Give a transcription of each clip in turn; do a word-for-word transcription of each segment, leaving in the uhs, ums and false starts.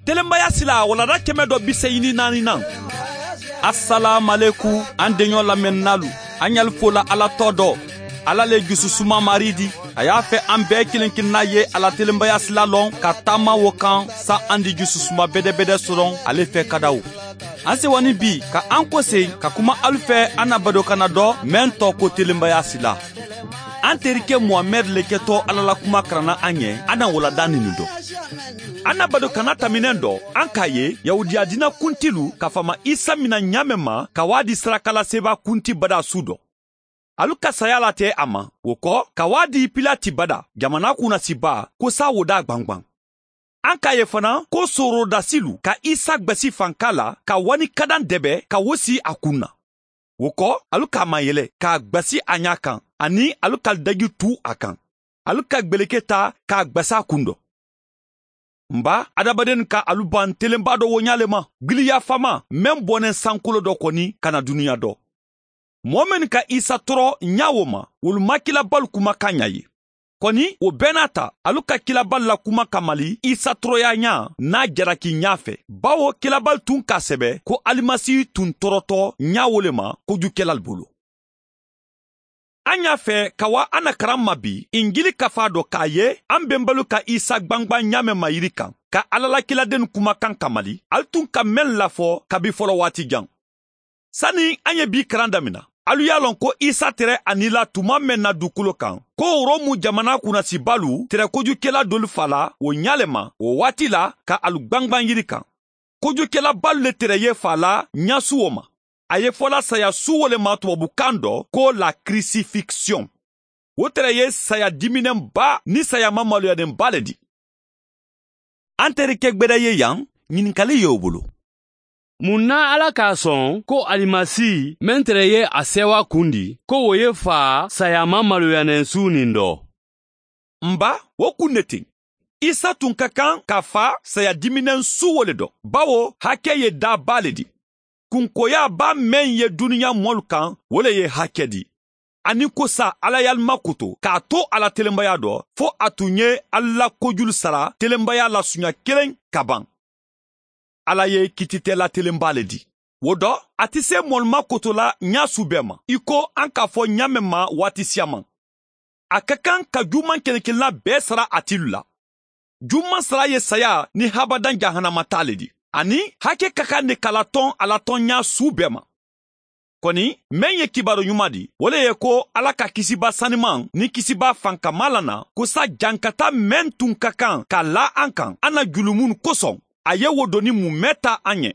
Telenbaya sila walanda kɛmɛ dɔ bi seegin ni naaninan. Asalaamualeku, an deɲɔ lamɛnninaalu. An ɲali fo la ala tɔ dɔ. Ala le jususuma marii di. A y'a fɛ an bɛɛ kelen kelenna ye a la telenbaya sila lɔn ka taama wo kan, sa an di jususuma bedebede sɔrɔ ale fɛ ka da wo. An sewa ni bi ka an kose ka kuma alu fɛ an na badokana dɔ mɛn tɔ ko telenbaya sila. An terike muhamɛd le kɛtɔ ala la kuma karanna an ɲɛ, an na walanda ninu dɔ. An na badokana taminɛ dɔ, an k'a ye yahudiya diina kuntilu ka faama isa mina ɲaamɛ ma ka waa di sarakalasebaa kunti badaa su dɔ. Alu ka saya la tɛ a ma. Wo kɔ, ka waa di pilati badaa, jamana kunnasibaa, ko sa wo daa gbangban. An k'a ye fana ko sorodasilu ka isa gbasi fanka la ka wani kadan dɛbɛ ka wo si a kun na. Wo kɔ, alu k'a mayɛlɛ k'a gbasi a ɲa kan, ani alu ka daji tu a kan. Alu ka gbeleke ta k'a gbasi a kun dɔ. N ba, adamadenw ka alu ban telenba dɔ wo ɲa le ma, giliyafaama, meŋ bɔnnen sankolo dɔ kɔni ka na duniya dɔ. Moo mennu ka isa tɔrɔ ɲa wo ma, wolu ma kilabalu kumakan ɲa ye. Kɔni, wo bɛɛ n'a ta, alu ka kilabalu la kuma kamali isa tɔrɔya ɲa n'a jalaki ɲa fɛ, bawo kilabalu tun k'a sɛbɛ ko alimasi tun tɔrɔtɔ ɲa wo le ma kojukɛlalu bolo. An y'a fɛ ka wa an na karan ma bi injili kafa dɔ k'a ye, an benbalu ka isa gbangban ɲaamɛ ma yiri kan ka ala la kiladenw kumakan kamali, ali tun ka meŋ lafɔ kabi fɔlɔ waati jan. Sani an ye bi karan damina, alu y'a lɔn ko isa tere a nila tuma meŋ na dukolo kan, ko romu jamana kunnasibalu tere kojukela dolu fa la wo ɲa le ma wo waati la ka alu gbangban yiri kan. Kojukelabalu le tere ye fa la ɲasuwo ma. A ye fola saya su wo le ma tubabukan dɔ ko la crucifixion. Wo tere ye saya diminenba ni saya mamaloyanenba le di. An terike gbeda ye yan, ɲininkali ye wo bolo. Mun na ala k'a sɔn ko alimasi meŋ tere ye a sewa kundi ko wo ye fa saya mamaloyanen su nin dɔ? N ba, wo kun ne ten. Isa tun ka kan ka fa saya diminɛn su wo le dɔ, bawo hake ye da ba le di. Kunkoya ba meŋ ye duniya mɔlu kan, wo le ye hake di. Ani ko sa ala ye ali makoto k'a to a la telenbaya dɔ, fo a tun ye ali la kojulu sara telenbaya la suɲa kelen ka ban. Ala ye kititɛla telenba le di. Wo dɔ, a ti se mɔlu makoto la ɲa su bɛɛ ma i ko an k'a fɔ ɲa meŋ ma waati siyaman. A ka kan ka juman kelekelenna bɛɛ sara a tilu la. Juman sara ye saya ni habadan jahanama taa le di. Ani hake ka kan ne ka latɔn a latɔn ɲa su bɛɛ ma. Kɔni, meŋ ye kibaru ɲuman di, wo le ye ko ala ka kisiba saniman ni kisiba fankama la na, ko sa jankata meŋ tun ka kan ka la an kan an na julumun kosɔn, a ye wo doni mun mɛn ta an ɲɛ.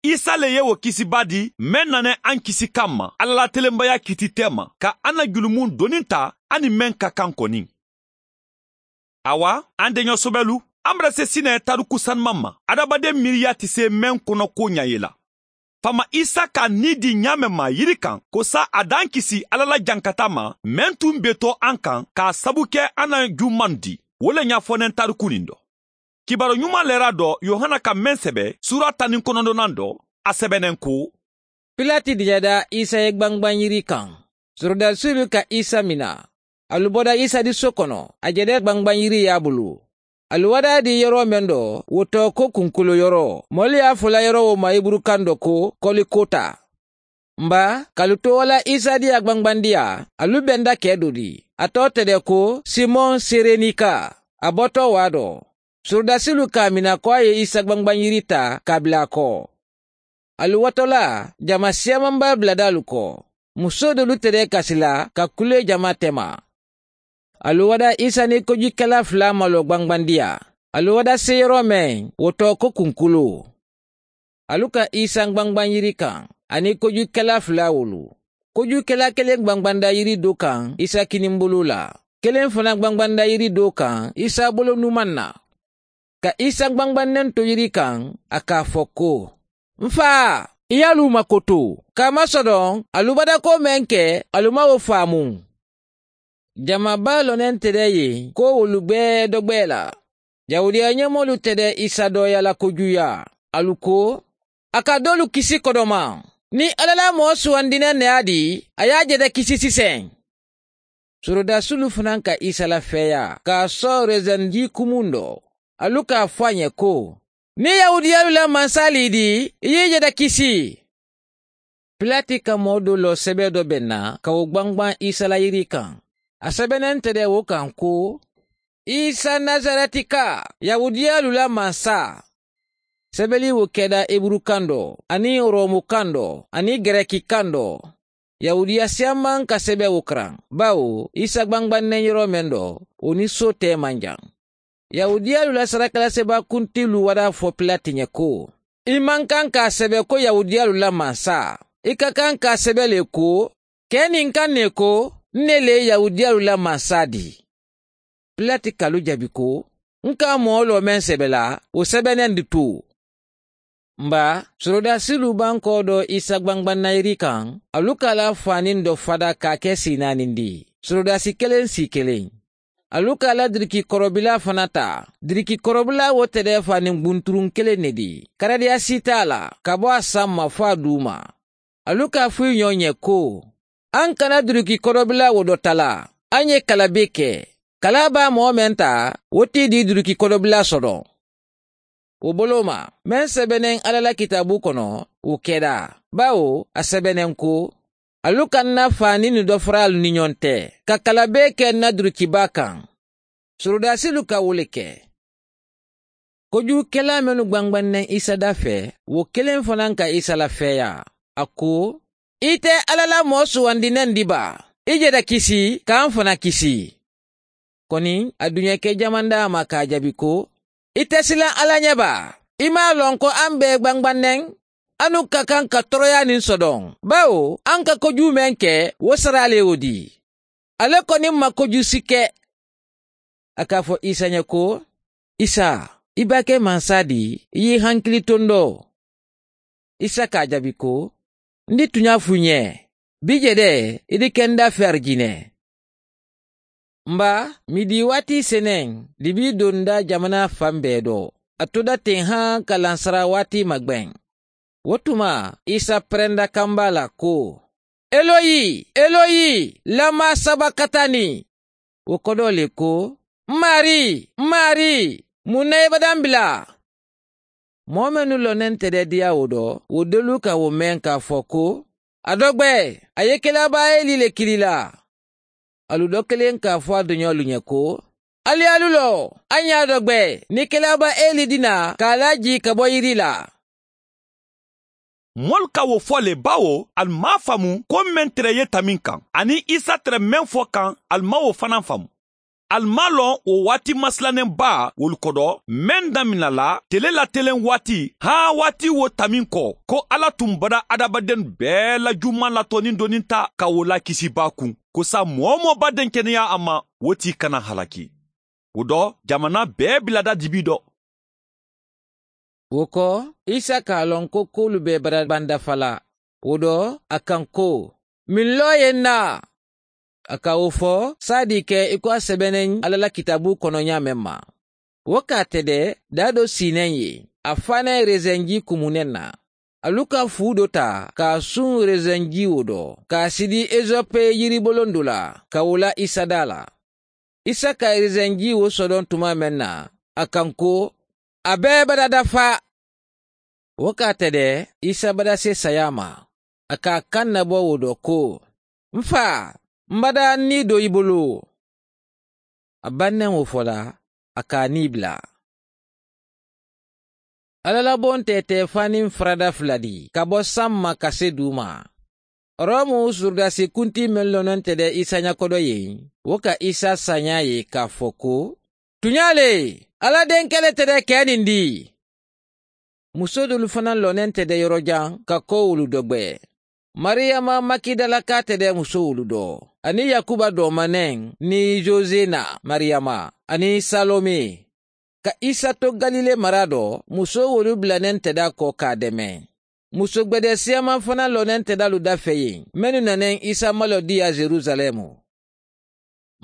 Isa le ye wo kisiba di meŋ nane an kisi kan ma ala la telenbaya kititɛ ma ka an na julumun doni ta, an ni meŋ ka kan kɔni. Awa, an deɲɔ sobɛlu, an bɛ se sinɛ tariku saniman ma adamaden miiriya ti se meŋ kɔnɔ ko ɲa ye la. Faama isa ka ni di ɲaamɛ ma yiri kan ko sa a dan kisi ala la jankata ma, meŋ tun be to an kan k'a sabu kɛ an na juman di, wo le ɲafɔnen tariku nin dɔ. Kibaru ɲuman lɛra dɔ yohana ka meŋ sɛbɛ sura tan ni kɔnɔntɔnnan dɔ, a sɛbɛnnen ko. Pilati diyada isa ye gbangban yiri kan. Sorodasilu ka isa mina. Alu bɔda isa di so kɔnɔ, a jɛdɛ gbangban yiri y'a bulu. Alu wada di yɔrɔ meŋ dɔ, wo tɔ ko kunkolo yɔrɔ. Mɔlu y'a fola yɔrɔ wo ma iburukan dɔ ko kolikota. N ba, kalu to wala isa di a gbangbandiya, alu benda kɛ do di. A tɔ tɛdɛ ko simɔn serenika. A bɔtɔ waa dɔ. Sorodasilu k'a mina ko a ye isa gbangban yiri ta k'a bila a kɔ. Alu watɔla, jama siyamanba biladaalu kɔ. Muso dolu tɛdɛ kasi la ka kule jama tɛma. Alu wada isa ni kojukɛla fila malo gbangbandiya. Alu wada se yɔrɔ meŋ, wo tɔ ko kunkulu. Alu ka isa gbangban yiri kan, ani kojukɛla fila wolu. Kojukɛla kelen gbangbanda yiri do kan isa kinimbolo la, kelen fana gbangbanda yiri do kan isa bolo numan na. Ka isa gbangbannen to yiri kan, a k'a fɔ ko, n fa, i y'alu makoto, k'a masɔdɔn alu badako meŋ kɛ, alu ma wo faamu. Jamaba lɔnnen tɛdɛ yen ko wolu bɛɛ dɔgbɛɛ la. Yahudiya ɲɛmɔlu tɛdɛ isa dɔɔya la kojuya. Alu ko, a ka dolu kisi kɔdɔma. Ni ala la mɔɔ suwandinɛ nɛ a di, a y'a jɛdɛ kisi sisan. Sorodasilu fana ka isa lafɛya k'a sɔɔ rezɛnji kumun dɔ. Alu k'a fɔ a ɲɛ ko, Niŋ yahudiyaalu la mansaa le i dii, i ye i jata kisi. Pilati ka moo doo loo sebee doo beŋ na ka wo gbangbaŋ isa la yiri kaŋ. A sebeneŋ te de wo kaŋ ko, isa nazaretikaa, yahudiyaalu la mansaa. Sebeli wo keda iburu kaŋ doo aniŋ romu kaŋ doo aniŋ gereki kaŋ doo. Yahudiya siyaŋ maŋ ka sebe wo karaŋ, bawo isa gbangbanneŋ yeroo meŋ do, wo niŋ soo teemaŋ jaŋ. Yahudiyaalu la sarakalasebaa kuntilu wadaa fo pilati ɲe ko, i maŋ kaŋ ka a sebe ko yahudiyaalu la mansaa. I ka kaŋ ka a sebe le ko, kee niŋ kaŋ ne ko, n ne le ye yahudiyaalu la mansaa dii. Pilati ka alu jabi ko, n ka moo loo meŋ sebe la, wo sebeneŋ di tuu. Mba, sorodaasilu bankoo do isa gbangbanna yiri kaŋ. Alu ka a la faaniŋ do fada ka a ke sii naaniŋ di, sorodaasi keleŋ sii keleŋ. Alu ka a la diriki korobilaa fana taa. Diriki korobilaa wo te de faaniŋ gbunturuŋ keleŋ ne di. Karadiya sii te a la ka bo a saŋ ma fo a duuma. Alu ka a fo i ñoo ñe ko, aŋ kana duruki korobilaa wo do tala. Aŋ ye kala bee ke. Kalaa baa moo meŋ taa, wo te i dii duruki korobilaa soto. Wo boloo ma, meŋ sebeneŋ alla la kitaabuu kono, wo keda. Baawo a sebeneŋ ko, alu ka n na faaniinu do faraalu ni ñoŋ te, ka kala bee ke n na durukibaa kaŋ. Sorodaasilu ka wo le ke. Kojuukelaa mennu gbangbanneŋ isa dafee, wo keleŋ fanaa ka isa lafeeyaa. A ko, i te alla la moo suwandi neŋ di baa? I je da kisi ka n fana kisi. Koni a duɲeke jamandaa ma ka a jabi ko, i te silaŋ alla ɲe baa? I maŋ a loŋ ko an bee gbangbanneŋ? Anu ka kaŋ ka toroyaa niŋ sodoŋ, bawo an ka kojuu meŋ ke, wo saraa le ye wo dii. Ale koni ma kojusi ke. A ka a fo isa ɲe ko, isa, i be a ke mansaa di? I ye i hankili tondoo. Isa ka a jaabi ko, n di tuɲaa fo i ɲe, bii je de i di ke n dafeeri jinee. Mba, midiiwaati seneŋ, dibii donda jamanaa faŋ bee do. A to da teŋ haa ka lansaraa waati magbeŋ. Wo tuma isa perenda kambaa la ko, eloyi, eloyi, lama sabakatani? Wo kodoo le ko, n maarii, n maarii, muŋ na i badaŋ bila? Moo mennu loneŋ te de diyaawoo do, wo doolu ka wo meŋ ka a fo ko, a dogbe, a ye kelabaa eli le kili la. Alu do kiliŋ ka a fo a doɲoolu ɲe ko, ali ye alu loo, a ɲaa dogbe, ni kelabaa eli dina ka a laa jii ka bo yiri la. Moolu ka wo fo le baawo ali maŋ a faamu ko meŋ tere ye tambi n kaŋ aniŋ isa tere meŋ fo kaŋ, ali maŋ wo fanaa faamu. Ali maŋ a loŋ wo waati masilaneŋ baa wolu kodo, meŋ damina la tele la teleŋ waati, haa waati wo tambi n ko, ko alla tun bada hadamadennu bee la juumaŋ la toonindoninta ka wo la kisibaa kuŋ, ko saayiŋ moo-wo-moo be a denkeneyaa a ma, wo tii kana halaki. Wo do, jamanaa bee bilada dibii do. Wo ko, isa ka a loŋ ko kuwolu be bada baŋ dafa la. Wo do, a kaŋ ko, miŋ loo ye n na? A ka wo fo saadii ke i ko a sebeneŋ alla la kitaaboo kono ñaameŋ ma. Wo ka a tede daa do sii neŋ ye, a faanaŋ ye reseŋ jii kumu neŋ na. Alu ka fuu do taa ka a suŋ reseŋ jiiwoo do, ka a sidi esope yiribolondu la, ka wo la isa daa la. Isa ka reseŋ jiiwoo sodoŋ tumaa meŋ na, a kaŋ ko, a bee bada dafa. Wo ka a tede isa bada se sayaa ma. A ka a kaŋ nabo wo do ko, n faa, m bada n nii do i bulu. A baŋ neŋ wo fo la, a ka a nii bila. Alla la bontee te faniŋ farada fula di ka bo saŋ ma ka se duu ma. Romu sorodaasi kuntii meŋ loneŋ te de isa ñakodo ye, wo ka isa sañaa ye ka a fo ko, tuñaa le, alla denke le te de kee niŋ di? Musoo doolu fanaa loneŋ te de yorojaŋ ka kowolu dogbe. Mariyama makidalakaa te de musowolu do, aniŋ yakuba doomaneŋ, niŋ zozena mariyama, aniŋ salome. Ka isa to galile maraa do, musoo wolu bilaneŋ te de a ko ka a deme. Muso gbedee siyamaŋ fanaa loneŋ te de alu dafee ye, mennu naneŋ isa maloo dii a yerusaleemu.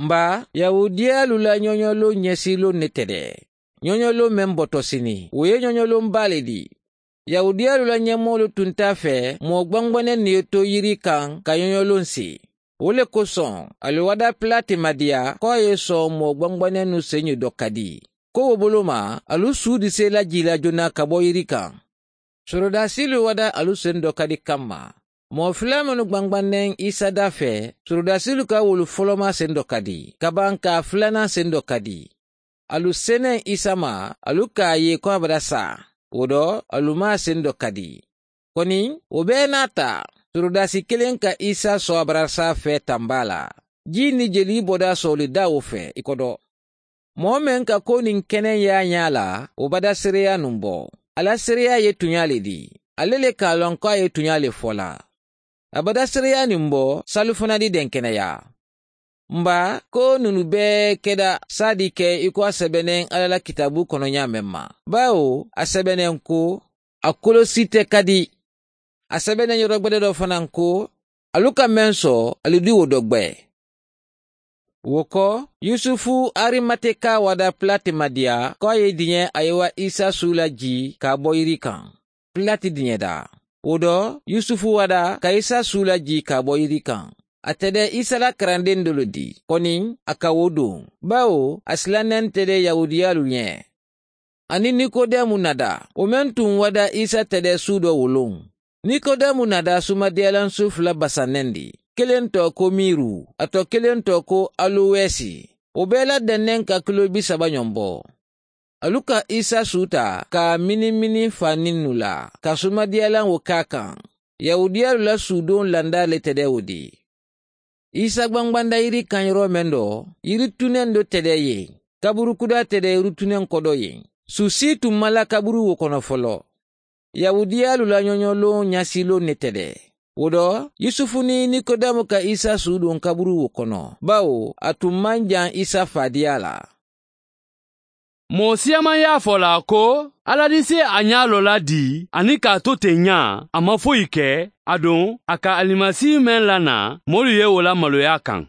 Mba, yahudiyaalu la ñoñoloŋ ñesiiloŋ ne te de. Ñoñoloŋ meŋ botosini wo ye ñoñoloŋ baa le dii. Yahudiyaalu la ñemoolu tunta a fee moo gbangbaneŋ ne ye to yiri kaŋ ka ñoñoloŋ sii. Wo le kosoŋ, ali wada pilati ma diya ko a ye soŋ moo gbangbanennu señu do kadi. ko wo bolo ma alu suudi seela jii la jona ka bo yiri kaŋ. Sorodaasiilu wada alu sendoo kadi kamma. Moo filaa mennu gbangbanneŋ isa daa fee sorodaasiilu ka wolu folomaa sendoo kadi ka baŋ ka a filanaŋ sendoo kadi. Alu seneŋ isa ma alu ka a ye ko a bada saa. Wo do alu maa sendoo kadi. Koni wo bee naata sorodaasi kiliŋ ka isa soo a bada saa fee tambaa la. Jii ni jelii bodaa sooli daa wo fee i kodo. Moo meŋ ka ko niŋ keneŋ ye a ñaa la wo bada seereyaa niŋ bo. A la seereyaa ye tuñaa le dii. Ale le ka a loŋ ko a ye tuñaa le fo la. A bada seereyaa niŋ bo saalu fanaŋ di denkeneyaa. Mba ko nunu bee keda saadi ke i ko a sebeneŋ alla la kitaabu kono ñaameŋ ma. Baawo a sebeneŋ ko a kolosite kadi. A sebeneŋ yoro gbede do fanaŋ ko alu ka meŋ so alu di wo do gbe. Wo ko yusufu arimateka wada pilati ma diya ko a ye diɲe a ye wa isa suula jii ka a bo yiri kaŋ. Pilati diɲe da wo do yusufu wada ka isa suula jii ka a bo yiri kaŋ. A tede isa la karandeŋ dolu di koni a ka wo duŋ. Baawo a silanente de yahudiyaalu ɲe. Aniŋ nikodemu nada wo meŋ tuŋ wada isa tede suudo wo luŋ. Nikodemu nada sumadiyalaŋ suufu la basanendi kiliŋ to ko miiru a to kiliŋ to ko aluwesi. Wo bee la denneŋ ka kilo bi saba ɲombo. Alu ka isa suuta ka a miniŋ miniŋ faaniŋ nu la ka sumadiyalaŋ wo ke a kaŋ. Yahudiyaalu la suudoŋ landaa le tede wo di. Isa gbangbanda yiri kaŋ yoro meŋ do yiri tuneŋ do tede ye. Kaburu kudaa tede yiri tuneŋ kodo ye. Su sii tuŋ ma la kaburu wo kono folo. Yahudiyaalu la ɲoɲoloŋ ɲasiiloŋ ne tede. Wo do yusufu niŋ nikodemu ka isa suudoŋ kaburu wo kono baawo a tuŋ maŋ jaŋ isa faadiyaa la. Moo siyamaŋ ye a fo la ko alla di si a ñaaloo la dii aniŋ ka a to teŋ ñaa a ma foyi ke. Aduŋ a ka alimasi meŋ la naa moolu ye wo la maloyaa kaŋ.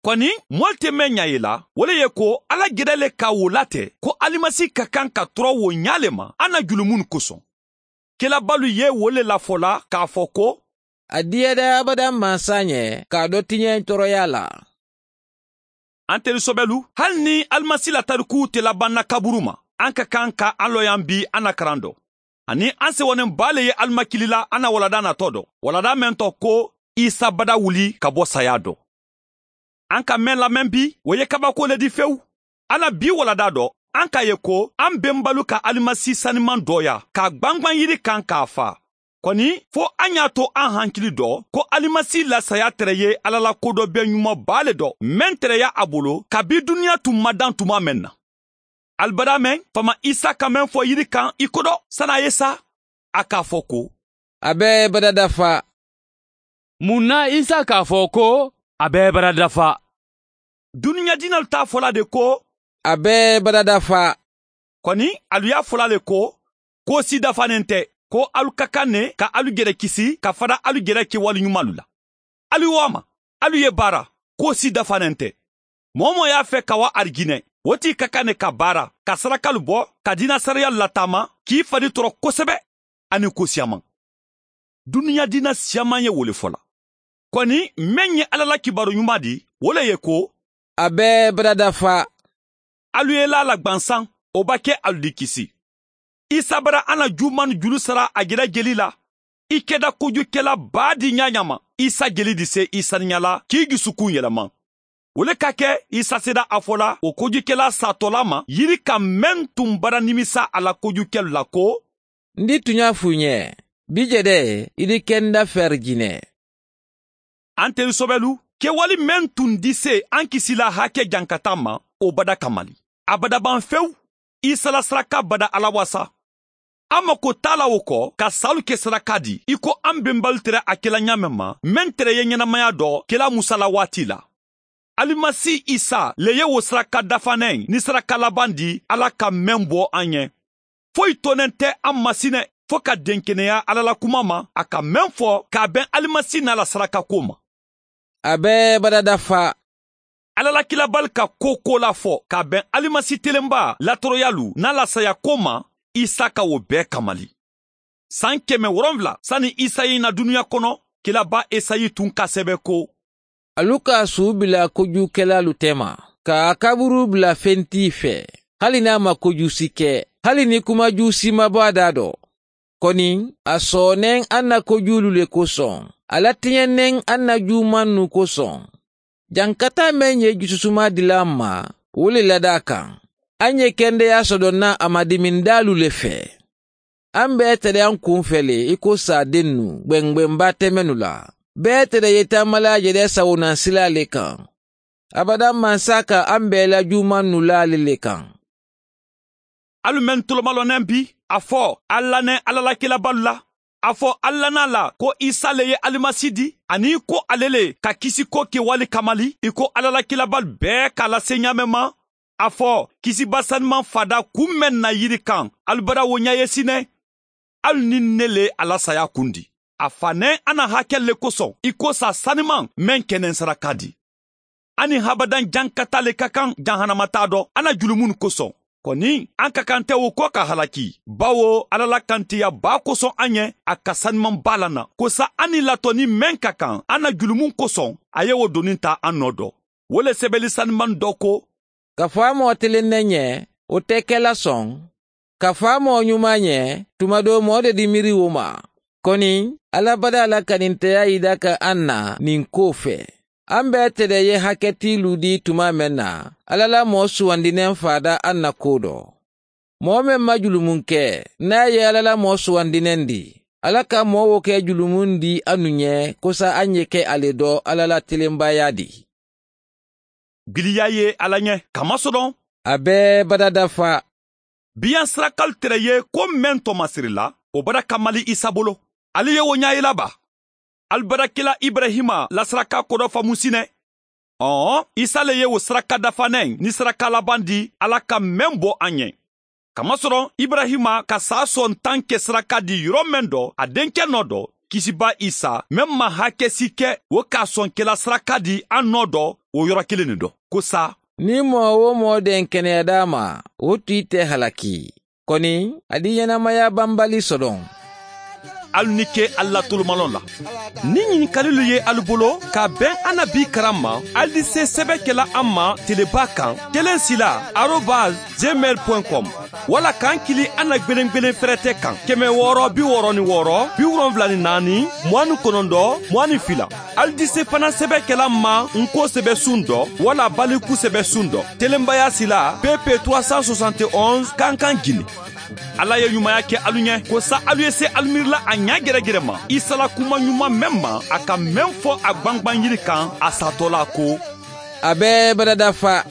Koni moolu te meŋ ñaa ye la wo le ye ko alla geda le ka wo late ko alimasi ka kaŋ ka tora wo ñaa le ma a na julumunnu kosoŋ. Kelabaalu ye wo le lafo la k'a fo ko a diyada abada maŋ saañe ka a do tiñeŋ toroyaa la. Antelu sobelu hali niŋ alimasi la tarikuu te labaŋ na kaburu ma an ka kaŋ ka an loyaŋ bii an na karaŋ do. Aniŋ an sewoneŋ baa le ye ali makili la an na waladaa natoo do waladaa meŋ to ko isa bada wuli ka bo sayaa do. An ka meŋ lameŋ bi wo ye kabakoo le di fewu. An na bii waladaa do an ka a ye ko an benbalu ka alimasi sanimaŋ dooyaa ka a gbangbaŋ yiri kaŋ ka a faa. Koni fo an ye a to an hankili do ko alimasi la sayaa tere ye alla la kodobee ñuma baa le do meŋ tereya a bolo kabiŋ duniya tun madaŋ tuma meŋ na. Ali badaa meŋ faama isa ka meŋ fo yiri kaŋ i kodo sani a ye saa a ka a fo ko a be bada dafa. Muŋ na isa ka a fo ko a be bada dafa? Duniya diinalu te a fo la de ko a be bada dafa. Koni alu ye a fo la le ko koosi dafa ne nte ko alu ka kaŋ ne ka alu gere kisi ka fada alu gere kewali ñumalu la. Alu wo a ma alu ye baara koosi dafa ne nte. Moo-wo-moo ye a fee ka wa arijine wo tii ka kaŋ ne ka baara ka sarakalu bo ka diina sariyaalu lataama k'i fadi toro kosebe aniŋ ko siyamaŋ. Duniya diina siyamaŋ ye wo le fo la. Koni meŋ ye alla la kibaaru ñumaa di wo le ye ko a be bada dafa. Alu ye laa la gbansaŋ wo ba ke alu di kisi. Isa bara a na juumaanu julu sara a jela jeli la. I keda kojukela baa di ñaañaama isa jeli di se i saniya la k'i jusukuŋ yelema. Wo le ka ke isa seda a fo la wo kojukela saatolaa ma yiri ka meŋ tun bara nimisa a la kojukelu la ko n di tuñaa fuu ñe bi jede i di kenda feri jine. Antelu sobelu kewali meŋ tun di se an kisila hake jankata ma wo bada kamali. A bada baŋ fewu. Isa la saraka bada ala wasa. An mako t'a la wo ko ka saalu ke saraka di i ko an benbalu tere a kela ñaameŋ ma meŋ tere ye ñenamaya do kela musa la waati la. Alimasi isa le ye wo saraka dafaneŋ ni saraka labaŋ di ala ka meŋ bo an ye. Foyi toneŋ te an ma sine fo ka denkeneya ala la kuma ma a ka meŋ fo k'a beŋ alimasi n'a la sarakako ma. A be bada dafa. Ala la kilabali ka ko ko la fo k'a beŋ alimasi telenba latoroyalu n'a la sayako ma. Isa ka wo bee kamali. San keme woronwula sani isa ye na duniya kono kilaba esayi tun ka sebe ko alu ka a suu bila kojuukelaalu tema ka a kaburu bila fentii fee. hali niŋ a ma kojuusi ke, hali niŋ kumajuusi ma bo a daa do. Koniŋ, a soo neŋ a na kojuulu le kosoŋ, a la tiñeŋ neŋ a na juumannu kosoŋ. Jankataa meŋ ye jususumaa dila a ma, wo le lada a kaŋ. A ŋ ye kendeyaa soto naŋ a ma dimindaalu le fee. A m̀ be tariyaŋ kuŋ fele i ko saadennu gbeŋ gbeŋ baatemenu la. Bee tara ye taamala a je de sawunaŋ silaa le kaŋ. Abadaŋ maŋ saaka a m̀ be i la juumannu laa le le kaŋ. Alu mennu tolomalonneŋ bi, a fo alla neŋ alla la kilabalu la. A fo alla naa la ko isa le ye alimasi di, aniŋ ko ale le ka kisiko ke wali kamali i ko alla la kilabalu bee ka a la senyaameŋ ma. A fo kisiba sanimaŋ faadaa kuŋ meŋ na yiri kaŋ, alu bara wo ñaayesi ne. Alu niŋ ne le a la saayaa kundi. A fa neŋ a na hakelu le kosoŋ i ko saa sanimaŋ meŋ keneŋ saraka di. A niŋ habadaŋ jankataa le ka kaŋ jahannama taa do a na julumunnu kosoŋ. Koniŋ a ka kaŋ te wo ko ka halaki, bawo alla la kantiya baa kosoŋ a ñe a ka sanimaŋ baa la na ko saa a niŋ latoni meŋ ka kaŋ a na julumunnu kosoŋ, a ye wo doniŋ taa a noo do. Wo le sebeli sanimaŋ do ko, kafaa moo tiliŋ ne ñe, wo te ke la soŋ. Kafaa moo ñumaa ñe, tuma doo moo de di miiri wo ma. Koniŋ, alla badaa la kaninteyaa yida ka a na niŋ koo fee. A m̀ be ite de ye haketiilu dii tumaa meŋ na, alla la moo suwandineŋ faadaa a na koo do. Moo meŋ ma julumunke, niŋ a ye alla la moo suwandineŋ dii, alla ka moo wo ke julumundiŋ a nuŋ ye kosa a ñe ke a le do alla la tilembayaa dii. Biliya ye alla ñe kamasodoŋ. A be badadafa. Biyaŋ sirakalu tere ye ko meŋ to masiri la, wo bara kamali isa bolo. Ali ye wo ñaayila ba? Ali bara kila ibrahima la siraka kodo famusi ne. Ɔɔ, isa le ye wo siraka dafaneŋ ni siraka laban di alla ka meŋ bo a ñe. Kamasɔrɔ ibrahima ka saa sɔn taŋ ke siraka di yɔrɔ meŋ dɔ a denkɛ nɔ dɔ, kisiba isa meŋ ma hakesi ke wo ka sɔn kela siraka di a nɔ dɔ, wo yɔrɔ kelen ni dɔ ko sa. Ni mɔɔ wo mɔɔ deŋ keneya daa ma, wo tu ite halaki. Koni a di ɲɛnamaya banbali sɔdɔn. Alu ni ke alu la tolomalɔn la. Ni ɲinikalilu ye alu bolo ka bɛn annabi karan ma, alu di se sɛbɛ kɛla an ma teleba kan, telen sila arobase gmail point com, wala k'an kili an na gbelengbelen fɛrɛtɛ kan, kɛmɛ wɔɔrɔ bi wɔɔrɔ ni wɔɔrɔ bi wolonwula ni naani mugan ni kɔnɔntɔn mugan ni fila. Alu di se fana sɛbɛ kɛla an ma n ko sɛbɛ sun dɔ wala baliku sɛbɛ sun dɔ, telenbaya sila pp trois cent soixante et onze kankan gine. Ala ye ɲumanya kɛ alu ɲɛ ko sa alu ye se alu miirila a ɲa gɛrɛgɛrɛ ma, isala kuma ɲuman mɛn ma a ka mɛn fɔ a gbangban yiri kan a satɔla ko, a bɛ badadafa.